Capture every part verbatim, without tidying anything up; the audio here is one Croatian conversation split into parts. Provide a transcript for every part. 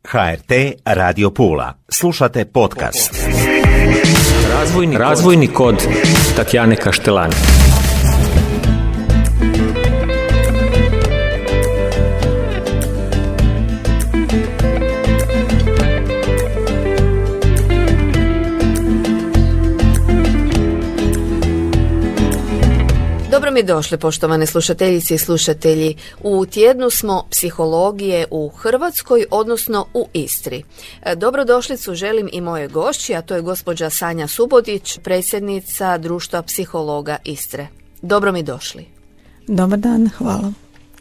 ha er te Radio Pula. Slušate podcast. Razvojni, Razvojni kod, kod Tatjane Kaštelani. Dobro mi došli, poštovane slušateljice i slušatelji. U tjednu smo psihologije u Hrvatskoj, odnosno u Istri. Dobrodošlicu želim i moje gošći, a to je gospođa Sanja Subotić, predsjednica Društva psihologa Istre. Dobro mi došli. Dobar dan, hvala.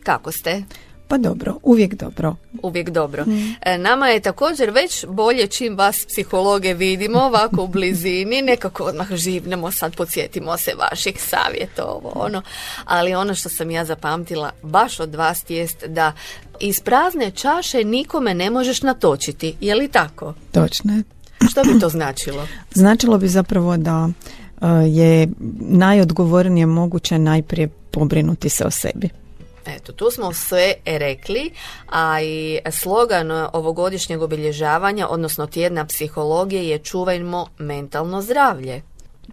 Kako ste? Pa dobro, uvijek dobro. Uvijek dobro. Mm. Nama je također već bolje čim vas psihologe vidimo ovako u blizini, nekako odmah živnemo, sad podsjetimo se vaših savjeta, ovo ono. Ali ono što sam ja zapamtila baš od vas jest da iz prazne čaše nikome ne možeš natočiti. Je li tako? Točno je. Što bi to značilo? Značilo bi zapravo da uh, je najodgovornije moguće najprije pobrinuti se o sebi. Eto, tu smo sve rekli, a i slogan ovogodišnjeg obilježavanja, odnosno tjedna psihologije, je čuvajmo mentalno zdravlje.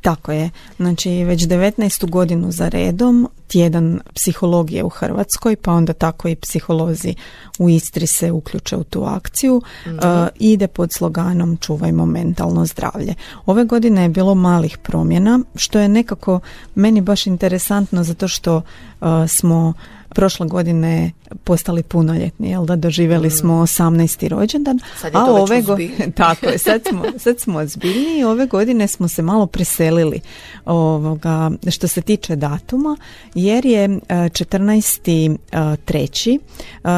Tako je. Znači, već devetnaestu godinu za redom tjedan psihologije u Hrvatskoj, pa onda tako i psiholozi u Istri se uključe u tu akciju, mm-hmm. uh, ide pod sloganom čuvajmo mentalno zdravlje. Ove godine je bilo malih promjena, što je nekako meni baš interesantno zato što uh, smo prošle godine postali punoljetni, jel da, doživjeli mm. smo osamnaesti rođendan, sad je to a ove godine tako je, sad smo, sad smo ozbiljniji, ove godine smo se malo preselili ovoga, što se tiče datuma, jer je četrnaesti treći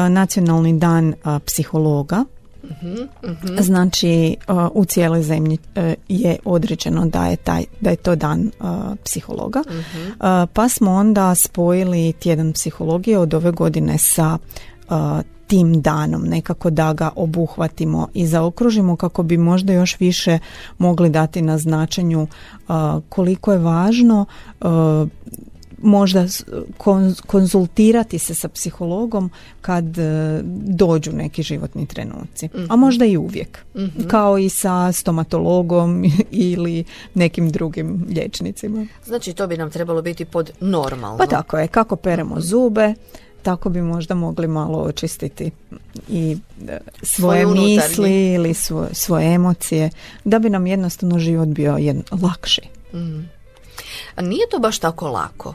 nacionalni dan psihologa. Uh-huh, uh-huh. Znači uh, u cijeloj zemlji uh, je određeno da je, taj, da je to dan uh, psihologa, uh-huh. uh, pa smo onda spojili tjedan psihologije od ove godine sa uh, tim danom, nekako da ga obuhvatimo i zaokružimo kako bi možda još više mogli dati na značenju uh, koliko je važno uh, možda konzultirati se sa psihologom kad dođu neki životni trenuci, mm-hmm. a možda i uvijek, mm-hmm. kao i sa stomatologom ili nekim drugim liječnicima. Znači to bi nam trebalo biti pod normalno. Pa tako je, kako peremo zube, tako bi možda mogli malo očistiti i svoje misli ili svoje, svoje emocije, da bi nam jednostavno život bio jedno, lakši. Mm. A nije to baš tako lako.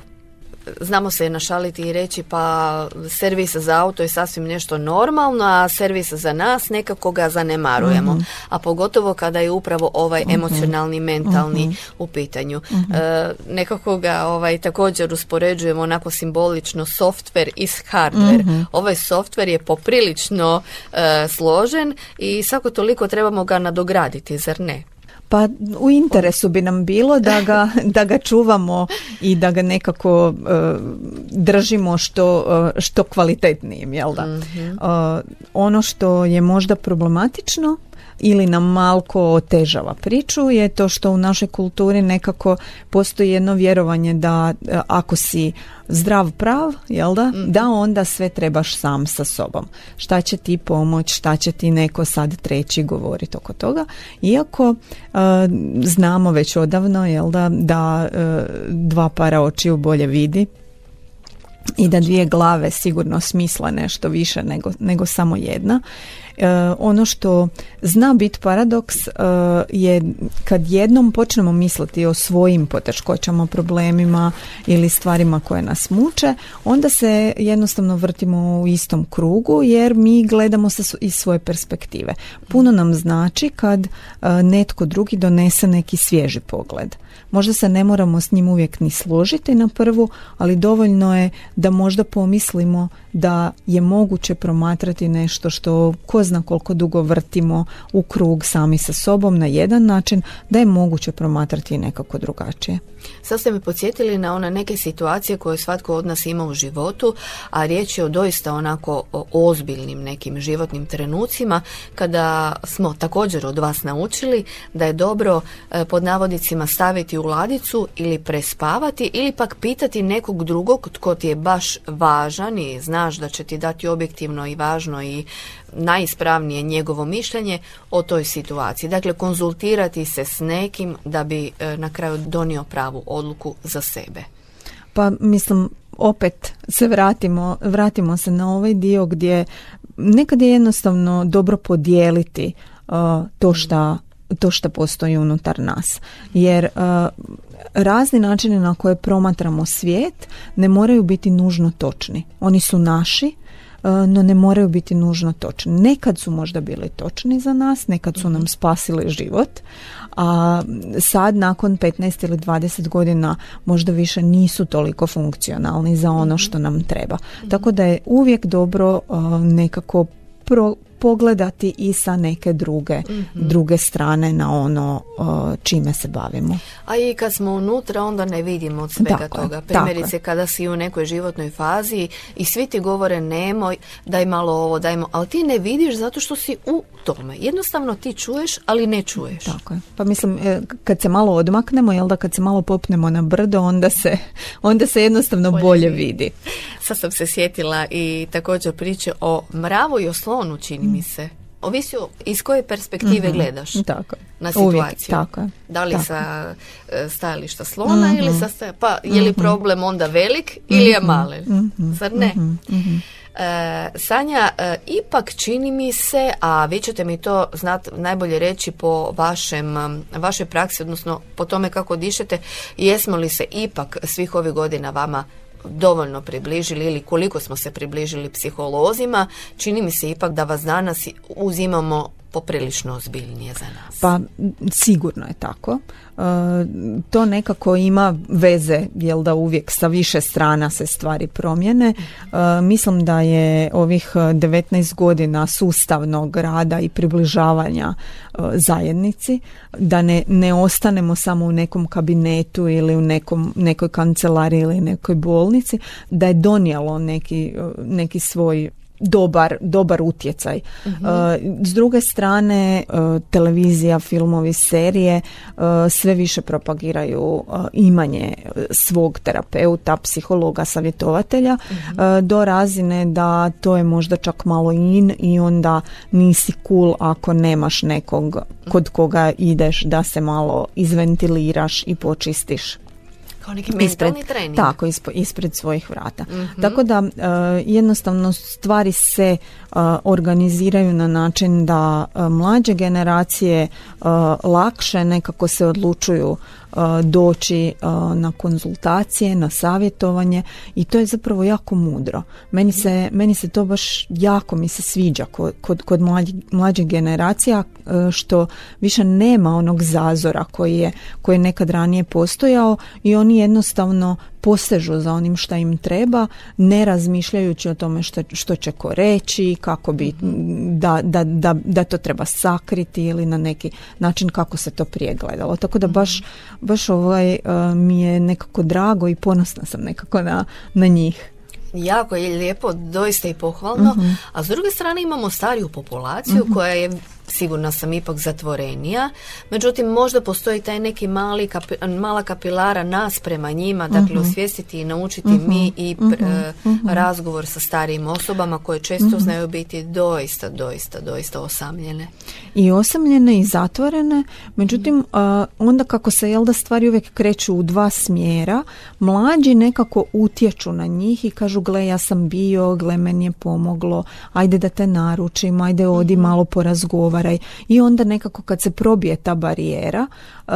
Znamo se našaliti i reći pa servis za auto je sasvim nešto normalno, a servis za nas nekako ga zanemarujemo. Mm-hmm. A pogotovo kada je upravo ovaj mm-hmm. emocionalni, mentalni mm-hmm. u pitanju. Mm-hmm. E, nekako ga ovaj, također uspoređujemo onako simbolično software is hardware. Mm-hmm. Ovaj software je poprilično e, složen i svako toliko trebamo ga nadograditi, zar ne? Pa u interesu bi nam bilo da ga, da ga čuvamo i da ga nekako uh, držimo što, uh, što kvalitetnijim, jel da? Mm-hmm. Uh, ono što je možda problematično ili nam malko otežava priču je to što u našoj kulturi nekako postoji jedno vjerovanje da uh, ako si zdrav prav, jel da, mm-hmm. da onda sve trebaš sam sa sobom. Šta će ti pomoć, šta će ti neko sad treći govoriti oko toga. Iako uh, znamo već odavno, jel da, da uh, dva para očiju bolje vidi i da dvije glave sigurno smisla nešto više nego, nego samo jedna. Uh, ono što zna biti paradoks uh, je kad jednom počnemo misliti o svojim poteškoćama, problemima ili stvarima koje nas muče, onda se jednostavno vrtimo u istom krugu jer mi gledamo sa, iz svoje perspektive. Puno nam znači kad uh, netko drugi donese neki svježi pogled. Možda se ne moramo s njim uvijek ni složiti na prvu, ali dovoljno je da možda pomislimo da je moguće promatrati nešto što ko zna koliko dugo vrtimo u krug sami sa sobom na jedan način, da je moguće promatrati i nekako drugačije. Sad ste me podsjetili na one neke situacije koje svatko od nas ima u životu, a riječ je o doista onako o ozbiljnim nekim životnim trenucima kada smo također od vas naučili da je dobro pod navodnicima staviti u ladicu ili prespavati ili pak pitati nekog drugog tko ti je baš važan i znaš da će ti dati objektivno i važno i najispravnije najispravnije njegovo mišljenje o toj situaciji. Dakle, konzultirati se s nekim da bi e, na kraju donio pravu odluku za sebe. Pa mislim, opet se vratimo, vratimo se na ovaj dio gdje nekad je jednostavno dobro podijeliti uh, to šta to što postoji unutar nas. Jer uh, razni načini na koje promatramo svijet ne moraju biti nužno točni. Oni su naši, uh, no ne moraju biti nužno točni. Nekad su možda bili točni za nas, nekad su nam spasili život, a sad nakon petnaest ili dvadeset godina možda više nisu toliko funkcionalni za ono što nam treba. Tako da je uvijek dobro uh, nekako pro pogledati i sa neke druge, mm-hmm. druge strane na ono uh, čime se bavimo. A i kad smo unutra onda ne vidimo od svega tako toga. Je, Primjerice kada si u nekoj životnoj fazi i svi ti govore nemoj, daj malo ovo, dajmo, ali ti ne vidiš zato što si u tome. Jednostavno ti čuješ, ali ne čuješ. Tako je. Pa mislim, kad se malo odmaknemo, jel da kad se malo popnemo na brdo, onda se, onda se jednostavno bolje, bolje vidi. Sad sam se sjetila i također priče o mravu i o slonu, čini mi se. Ovisi iz koje perspektive mm-hmm. gledaš tako. na situaciju. Uvijek, tako je. Da li tako. sa stajališta slona mm-hmm. ili sa stajališta, pa je li problem onda velik mm-hmm. ili je malen? Mm-hmm. Zar ne? Mm-hmm. E, Sanja, e, ipak čini mi se, a vi ćete mi to znat, najbolje reći po vašem, vašoj praksi, odnosno po tome kako dišete, jesmo li se ipak svih ovih godina vama dovoljno približili ili koliko smo se približili psiholozima, čini mi se ipak da vas danas uzimamo poprilično ozbiljnije za nas. Pa sigurno je tako. E, to nekako ima veze, jel da uvijek sa više strana se stvari promijene. E, mislim da je ovih devetnaest godina sustavnog rada i približavanja e, zajednici, da ne, ne ostanemo samo u nekom kabinetu ili u nekom, nekoj kancelariji ili nekoj bolnici, da je donijelo neki, neki svoj dobar, dobar utjecaj. Mm-hmm. Uh, s druge strane, uh, televizija, filmovi, serije uh, sve više propagiraju uh, imanje svog terapeuta, psihologa, savjetovatelja mm-hmm. uh, do razine da to je možda čak malo in i onda nisi cool ako nemaš nekog kod koga ideš da se malo izventiliraš i počistiš. Kao neki mentalni trening. Tako, ispred, ispred svojih vrata. Mm-hmm. Tako da uh, jednostavno stvari se uh, organiziraju na način da uh, mlađe generacije uh, lakše nekako se odlučuju uh, doći uh, na konzultacije, na savjetovanje i to je zapravo jako mudro. Meni se, meni se to baš jako mi se sviđa kod, kod, kod mlađi, mlađih generacija uh, što više nema onog zazora koji je, koji je nekad ranije postojao i oni jednostavno posežu za onim šta im treba, ne razmišljajući o tome što, što će ko reći, kako bi, da, da, da, da to treba sakriti ili na neki način kako se to prije gledalo. Tako da baš, baš ovaj, uh, mi je nekako drago i ponosna sam nekako na, na njih. Jako je lijepo, doista i pohvalno, uh-huh. a s druge strane imamo stariju populaciju uh-huh. koja je, sigurna sam, ipak zatvorenija, međutim možda postoji taj neki mali kapi, mala kapilara nas prema njima, dakle uh-huh. osvijestiti i naučiti uh-huh. mi i pr, uh-huh. razgovor sa starijim osobama koje često uh-huh. znaju biti doista, doista, doista osamljene. I osamljene i zatvorene, međutim uh, onda kako se jel da stvari uvijek kreću u dva smjera, mlađi nekako utječu na njih i kažu gle ja sam bio, gle meni je pomoglo, ajde da te naručim, ajde odi uh-huh. malo porazgovaraj i onda nekako kad se probije ta barijera uh,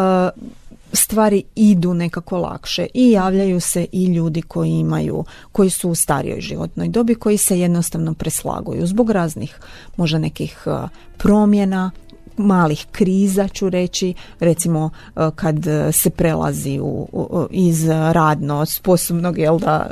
stvari idu nekako lakše i javljaju se i ljudi koji imaju, koji su u starijoj životnoj dobi, koji se jednostavno preslaguju zbog raznih možda nekih uh, promjena, malih kriza ću reći, recimo kad se prelazi u, u, iz radno sposobnog jel da,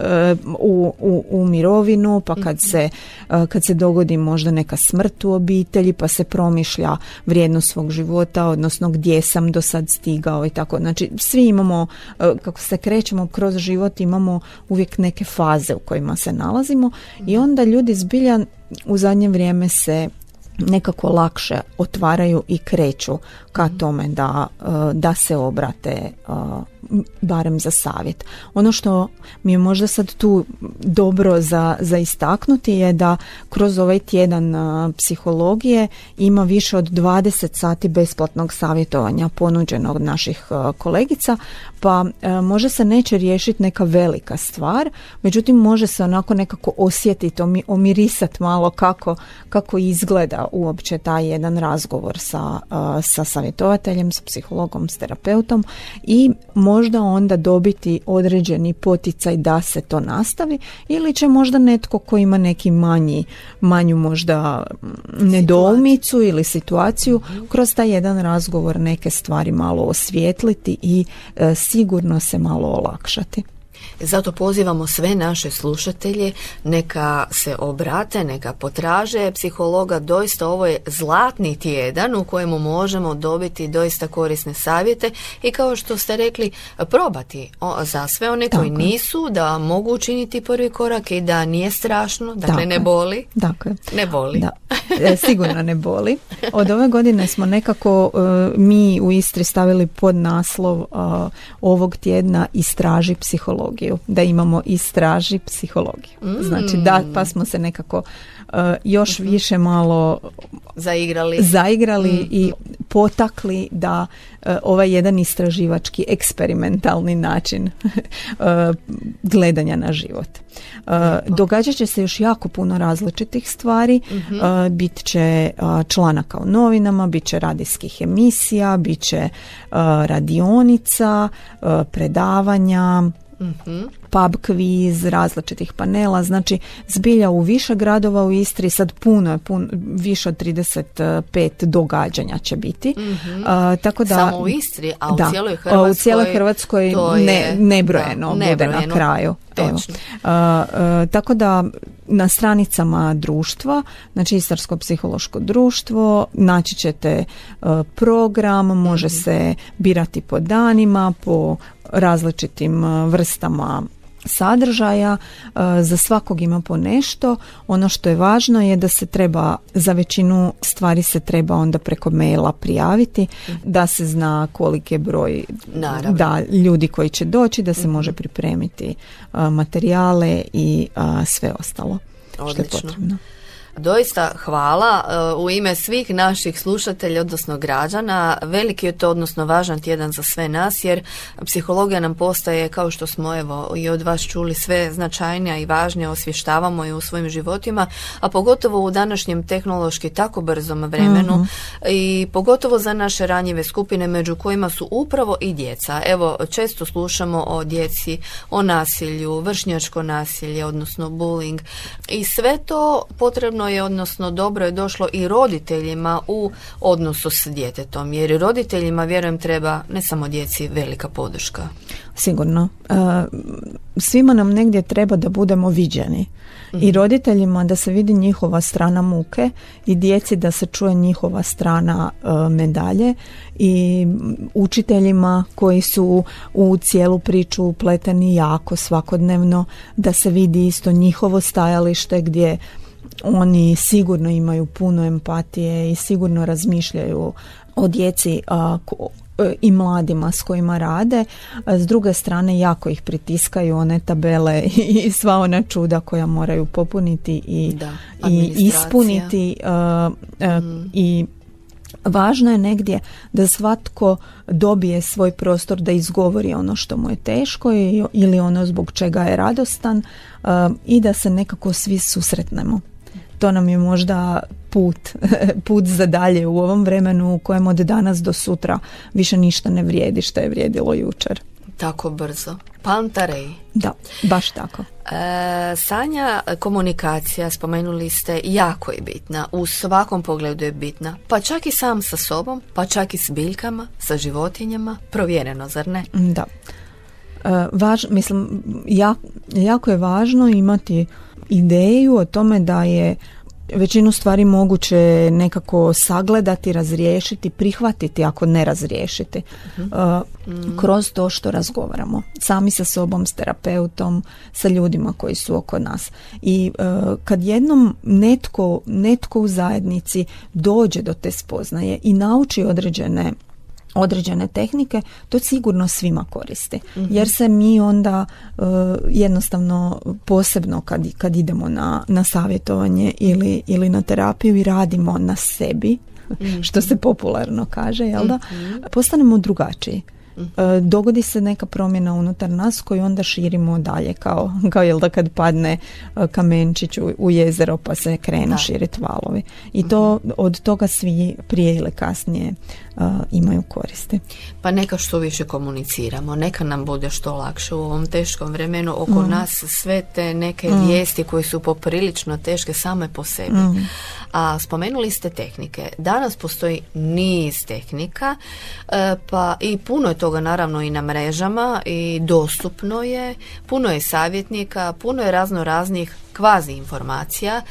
u, u, u mirovinu, pa kad se, kad se dogodi možda neka smrt u obitelji, pa se promišlja vrijednost svog života, odnosno gdje sam do sad stigao i tako. Znači svi imamo, kako se krećemo kroz život, imamo uvijek neke faze u kojima se nalazimo i onda ljudi zbilja u zadnje vrijeme se nekako lakše otvaraju i kreću ka tome da, da se obrate barem za savjet. Ono što mi je možda sad tu dobro za, za istaknuti je da kroz ovaj tjedan a, psihologije ima više od dvadeset sati besplatnog savjetovanja ponuđenog od naših a, kolegica, pa a, može se neće riješiti neka velika stvar, međutim može se onako nekako osjetiti, omirisati malo kako, kako izgleda uopće taj jedan razgovor sa, a, sa savjetovateljem, s psihologom, s terapeutom i možda onda dobiti određeni poticaj da se to nastavi, ili će možda netko ko ima neki manji, manju možda nedoumicu ili situaciju kroz taj jedan razgovor neke stvari malo osvijetliti i e, sigurno se malo olakšati. Zato pozivamo sve naše slušatelje, neka se obrate, neka potraže psihologa. Doista ovo je zlatni tjedan u kojemu možemo dobiti doista korisne savjete i kao što ste rekli, probati o, za sve one koji dakle. nisu, da mogu učiniti prvi korak i da nije strašno, dakle, dakle. ne boli. Dakle. Ne boli. Da. E, sigurno ne boli. Od ove godine smo nekako uh, mi u Istri stavili pod naslov uh, ovog tjedna Istraži psihologiju. Da imamo Istraži psihologiju. Mm. Znači da, pa smo se nekako uh, još mm-hmm. više malo zaigrali, zaigrali mm. i potakli da uh, ovaj jedan istraživački eksperimentalni način uh, gledanja na život. Uh, događat će se još jako puno različitih stvari. Mm-hmm. Uh, bit će uh, članaka u novinama, bit će radijskih emisija, bit će uh, radionica, uh, predavanja, mm-hmm. pub kviz, različitih panela, znači zbilja u više gradova u Istri, sad puno je, pun, više od trideset pet događanja će biti. Mm-hmm. Uh, tako da, samo u Istri, a u da, cijeloj Hrvatskoj, u cijeloj Hrvatskoj ne, nebrojeno da, bude na kraju. Evo. Uh, uh, tako da na stranicama društva, znači Istarsko psihološko društvo, naći ćete uh, program, može mm-hmm. se birati po danima, po različitim uh, vrstama sadržaja, za svakog ima po nešto. Ono što je važno je da se treba, za većinu stvari se treba onda preko maila prijaviti, da se zna koliki je broj da, ljudi koji će doći, da se mm-hmm. može pripremiti materijale i sve ostalo. Odlično. Što je potrebno. Doista hvala u ime svih naših slušatelja, odnosno građana. Veliki je to, odnosno važan tjedan za sve nas, jer psihologija nam postaje, kao što smo evo i od vas čuli, sve značajnija i važnija, osvještavamo je u svojim životima, a pogotovo u današnjem tehnološki tako brzom vremenu uh-huh. i pogotovo za naše ranjive skupine, među kojima su upravo i djeca. Evo, često slušamo o djeci, o nasilju, vršnjačko nasilje, odnosno bullying, i sve to potrebno je, odnosno dobro je došlo i roditeljima u odnosu s djetetom, jer roditeljima, vjerujem, treba ne samo djeci velika podrška. Sigurno. E, svima nam negdje treba da budemo viđeni. Mm-hmm. I roditeljima da se vidi njihova strana muke i djeci da se čuje njihova strana e, medalje, i učiteljima koji su u cijelu priču upleteni jako svakodnevno, da se vidi isto njihovo stajalište gdje oni sigurno imaju puno empatije i sigurno razmišljaju o djeci a, ko, i mladima s kojima rade. S druge strane, jako ih pritiskaju one tabele i sva ona čuda koja moraju popuniti i, da, i ispuniti a, a, mm. i važno je negdje da svatko dobije svoj prostor da izgovori ono što mu je teško ili ono zbog čega je radostan, a, i da se nekako svi susretnemo. To nam je možda put, put za dalje u ovom vremenu u kojem od danas do sutra više ništa ne vrijedi što je vrijedilo jučer. Tako brzo. Pantarej. Da, baš tako. E, Sanja, komunikacija, spomenuli ste, jako je bitna. U svakom pogledu je bitna. Pa čak i sam sa sobom, pa čak i s biljkama, sa životinjama. Provjereno, zar ne? Da. E, važ, mislim, ja, jako je važno imati ideju o tome da je većinu stvari moguće nekako sagledati, razriješiti, prihvatiti ako ne razriješiti. Uh-huh. Uh, kroz to što razgovaramo. Sami sa sobom, s terapeutom, sa ljudima koji su oko nas. I uh, kad jednom netko, netko u zajednici dođe do te spoznaje i nauči određene određene tehnike, to sigurno svima koristi. Mm-hmm. Jer se mi onda uh, jednostavno posebno kad, kad idemo na, na savjetovanje ili, ili na terapiju i radimo na sebi, mm-hmm. što se popularno kaže, jel da? Mm-hmm. Postanemo drugačiji. Dogodi se neka promjena unutar nas koju onda širimo dalje kao, kao jel da kad padne kamenčić u, u jezero pa se krenu širiti valovi. I to, od toga svi prije ili kasnije uh, imaju koristi. Pa neka što više komuniciramo, neka nam bude što lakše u ovom teškom vremenu oko mm. nas sve te neke mm. vijesti koje su poprilično teške same po sebi. Mm. A spomenuli ste tehnike. Danas postoji niz tehnika, pa i puno je toga naravno i na mrežama i dostupno je, puno je savjetnika, puno je razno raznih kvazi informacija.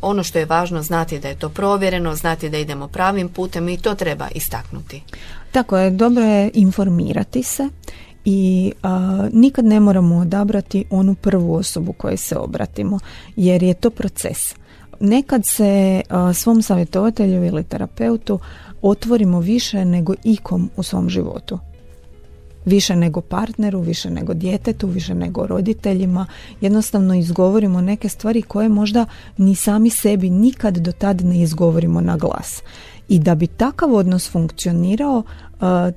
Ono što je važno znati da je to provjereno, znati da idemo pravim putem i to treba istaknuti. Tako je, dobro je informirati se i a, nikad ne moramo odabrati onu prvu osobu kojoj se obratimo, jer je to proces. Nekad se a, svom savjetovatelju ili terapeutu otvorimo više nego ikom u svom životu. Više nego partneru, više nego djetetu, više nego roditeljima. Jednostavno izgovorimo neke stvari koje možda ni sami sebi nikad do tad ne izgovorimo na glas. I da bi takav odnos funkcionirao,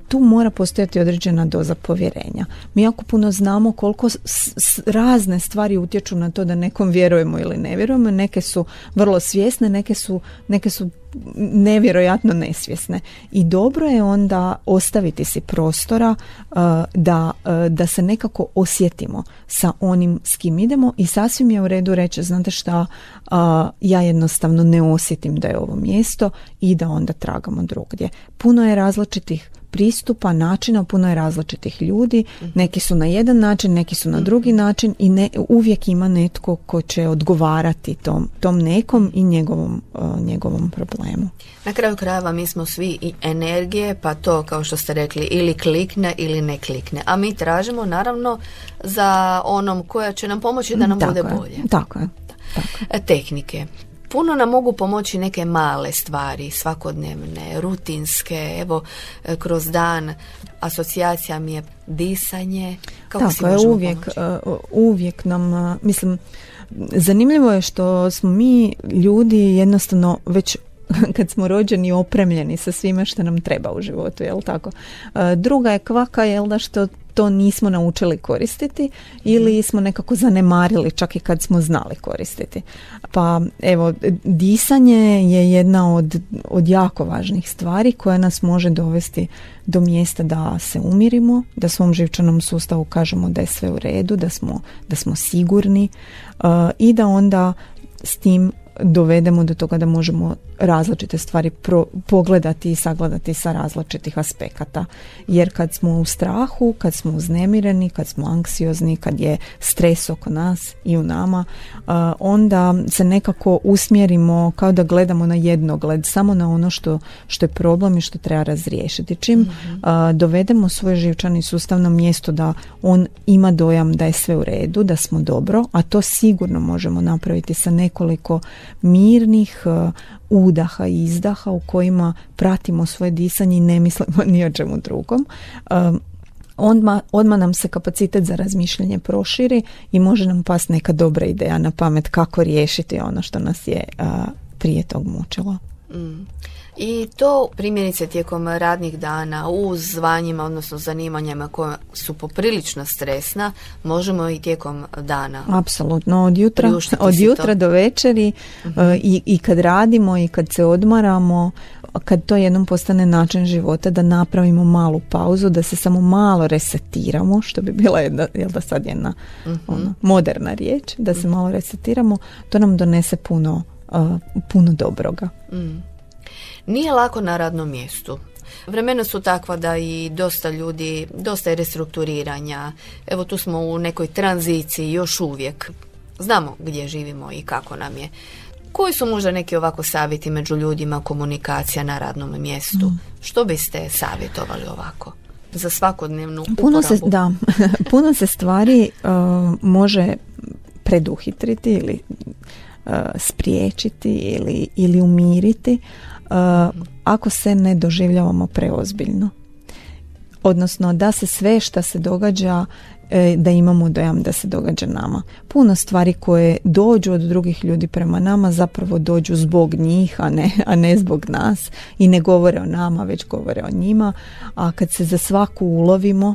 tu mora postojati određena doza povjerenja. Mi jako puno znamo koliko s- s- razne stvari utječu na to da nekom vjerujemo ili ne vjerujemo. Neke su vrlo svjesne, neke su, neke su nevjerojatno nesvjesne. I dobro je onda ostaviti si prostora uh, da, uh, da se nekako osjetimo sa onim s kim idemo i sasvim je u redu reći, znate šta, uh, ja jednostavno ne osjetim da je ovo mjesto i da onda tragamo drugdje. Puno je različitih pristupa, načina, puno je različitih ljudi, neki su na jedan način, neki su na drugi način i ne, uvijek ima netko ko će odgovarati tom, tom nekom i njegovom, uh, njegovom problemu. Na kraju krajeva mi smo svi i energije, pa to kao što ste rekli ili klikne ili ne klikne, a mi tražimo naravno za onom koja će nam pomoći da nam tako bude je, bolje. Tako je. Tako je. Tehnike. Puno nam mogu pomoći neke male stvari, svakodnevne, rutinske, evo kroz dan. Asocijacija mi je disanje. Kako Tako si je, možemo uvijek, pomoći? uh, uvijek nam, uh, mislim, zanimljivo je što smo mi ljudi jednostavno već kad smo rođeni opremljeni sa svime što nam treba u životu, jel tako? Uh, druga je kvaka, jel da, što to nismo naučili koristiti ili smo nekako zanemarili čak i kad smo znali koristiti. Pa evo, disanje je jedna od, od jako važnih stvari koja nas može dovesti do mjesta da se umirimo, da svom živčanom sustavu kažemo da je sve u redu, da smo, da smo sigurni uh, i da onda s tim dovedemo do toga da možemo različite stvari pro, pogledati i sagledati sa različitih aspekata. Jer kad smo u strahu, kad smo uznemireni, kad smo anksiozni, kad je stres oko nas i u nama, uh, onda se nekako usmjerimo kao da gledamo na jednogled, samo na ono što, što je problem i što treba razriješiti. Čim mm-hmm. uh, dovedemo svoj živčani sustav na mjesto da on ima dojam da je sve u redu, da smo dobro, a to sigurno možemo napraviti sa nekoliko mirnih uh, udaha i izdaha u kojima pratimo svoje disanje i ne mislimo ni o čemu drugom. Um, odmah, odmah nam se kapacitet za razmišljanje proširi i može nam pasti neka dobra ideja na pamet kako riješiti ono što nas je uh, prije tog mučilo. Mm. I to primjerice tijekom radnih dana u zvanjima, odnosno zanimanjima koja su poprilično stresna, možemo i tijekom dana. Apsolutno, od jutra, od jutra do večeri uh-huh. uh, i, i kad radimo i kad se odmaramo, kad to jednom postane način života, da napravimo malu pauzu, da se samo malo resetiramo, što bi bila jedna, jel da sad jedna uh-huh. ona, moderna riječ, da se uh-huh. malo resetiramo, to nam donese puno, uh, puno dobroga. Mm. Nije lako na radnom mjestu. Vremena su takva da i dosta ljudi, dosta je restrukturiranja. Evo tu smo u nekoj tranziciji još uvijek. Znamo gdje živimo i kako nam je. Koji su možda neki ovako savjeti među ljudima, komunikacija na radnom mjestu? Mm. Što biste savjetovali ovako za svakodnevnu uporabu? Puno se, da, puno se stvari uh, može preduhitriti ili uh, spriječiti ili, ili umiriti ako se ne doživljavamo preozbiljno. Odnosno da se sve što se događa, da imamo dojam da se događa nama. Puno stvari koje dođu od drugih ljudi prema nama zapravo dođu zbog njih, a ne, a ne zbog nas i ne govore o nama, već govore o njima. A kad se za svaku ulovimo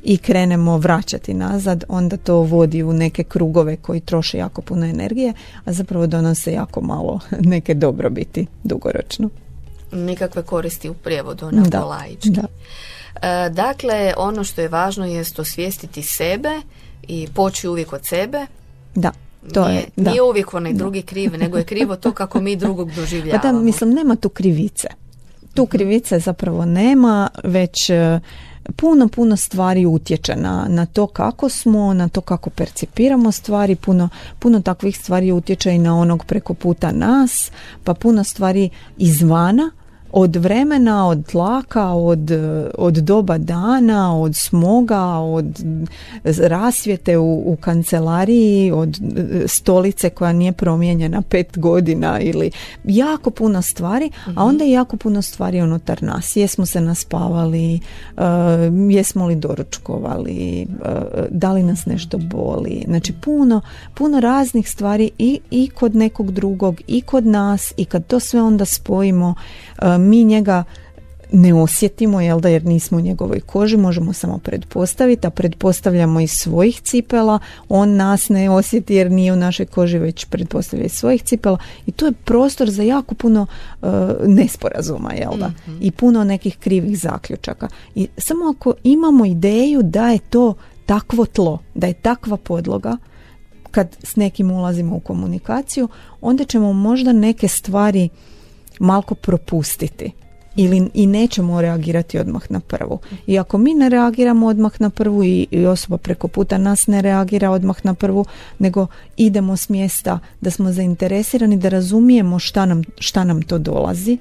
i krenemo vraćati nazad, onda to vodi u neke krugove koji troše jako puno energije, a zapravo donose jako malo neke dobrobiti dugoročno. Nikakve koristi u prijevodu na da, polaički. Da. E, dakle, ono što je važno jest osvijestiti sebe i poći uvijek od sebe. Da. To nije, je, da. nije uvijek onaj drugi kriv, nego je krivo to kako mi drugog doživljavamo. Pa da, mislim, nema tu krivice. Tu krivice zapravo nema, već puno, puno stvari utječe na, na to kako smo, na to kako percipiramo stvari, puno, puno takvih stvari utječe i na onog preko puta nas, pa puno stvari izvana, od vremena, od tlaka, od, od doba dana, od smoga, od rasvjete u, u kancelariji, od stolice koja nije promijenjena pet godina ili jako puno stvari, a onda i jako puno stvari unutar nas. Jesmo se naspavali, uh, jesmo li doručkovali, uh, da li nas nešto boli. Znači puno, puno raznih stvari i, i kod nekog drugog i kod nas, i kad to sve onda spojimo, uh, mi njega ne osjetimo, jel da, jer nismo u njegovoj koži, možemo samo pretpostaviti, a pretpostavljamo iz svojih cipela, on nas ne osjeti jer nije u našoj koži, već pretpostavlja iz svojih cipela, i tu je prostor za jako puno uh, nesporazuma, jel da, mm-hmm. i puno nekih krivih zaključaka. I samo ako imamo ideju da je to takvo tlo, da je takva podloga, kad s nekim ulazimo u komunikaciju, onda ćemo možda neke stvari malko propustiti ili i nećemo reagirati odmah na prvu. I ako mi ne reagiramo odmah na prvu i, i osoba preko puta nas ne reagira odmah na prvu, nego idemo s mjesta da smo zainteresirani, da razumijemo šta nam, šta nam to dolazi,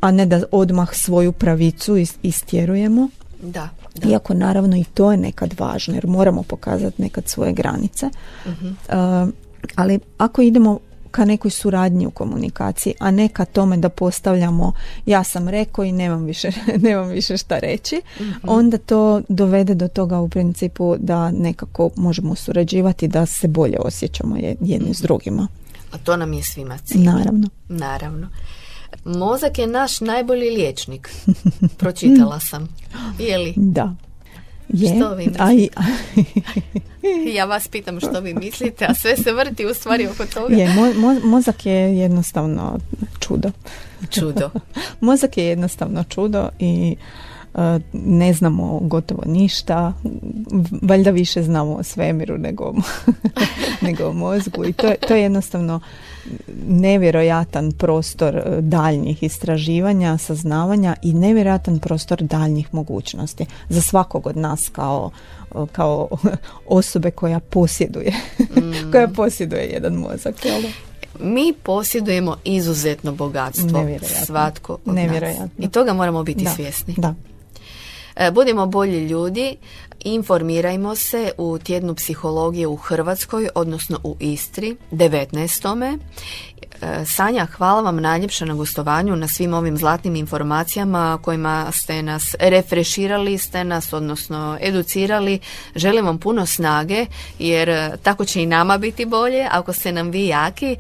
a ne da odmah svoju pravicu istjerujemo. Da, da. Iako naravno i to je nekad važno, jer moramo pokazati nekad svoje granice. Uh-huh. Uh, ali ako idemo ka nekoj suradnji u komunikaciji, a ne ka tome da postavljamo ja sam rekao i nemam više, nemam više šta reći, mm-hmm. onda to dovede do toga u principu da nekako možemo surađivati, da se bolje osjećamo jedni mm-hmm. s drugima. A to nam je svima cilj. Naravno. Naravno. Mozak je naš najbolji liječnik. Pročitala sam. Je li? Da. Je. Što vi mislite? Ja vas pitam što vi mislite, a sve se vrti u stvari oko toga. Je, mo, mo, mozak je jednostavno čudo. Čudo. Mozak je jednostavno čudo i uh, ne znamo gotovo ništa. Valjda više znamo o svemiru nego, nego o mozgu. I to, to je jednostavno nevjerojatan prostor daljnjih istraživanja, saznavanja i nevjerojatan prostor daljnjih mogućnosti za svakog od nas kao, kao osobe koja posjeduje mm. koja posjeduje jedan mozak, jel? Mi posjedujemo izuzetno bogatstvo, svatko od nas. I toga moramo biti da. svjesni. Da. Budimo bolji ljudi, informirajmo se u tjednu psihologije u Hrvatskoj, odnosno u Istri, devetnaestome Sanja, hvala vam najljepše na gostovanju, na svim ovim zlatnim informacijama kojima ste nas refreširali, ste nas, odnosno educirali. Želim vam puno snage, jer tako će i nama biti bolje. Ako ste nam vi jaki,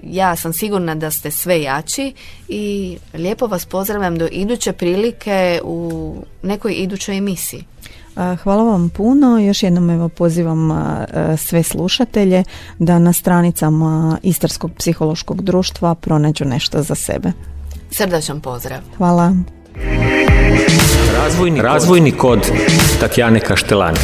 ja sam sigurna da ste sve jači i lijepo vas pozdravljam do iduće prilike u nekoj idućoj emisiji. Hvala vam puno. Još jednom evo pozivam sve slušatelje da na stranicama Istarskog psihološkog društva pronađu nešto za sebe. Srdačan pozdrav. Hvala. Razvojni, Razvojni kod Tatjane Kaštelani.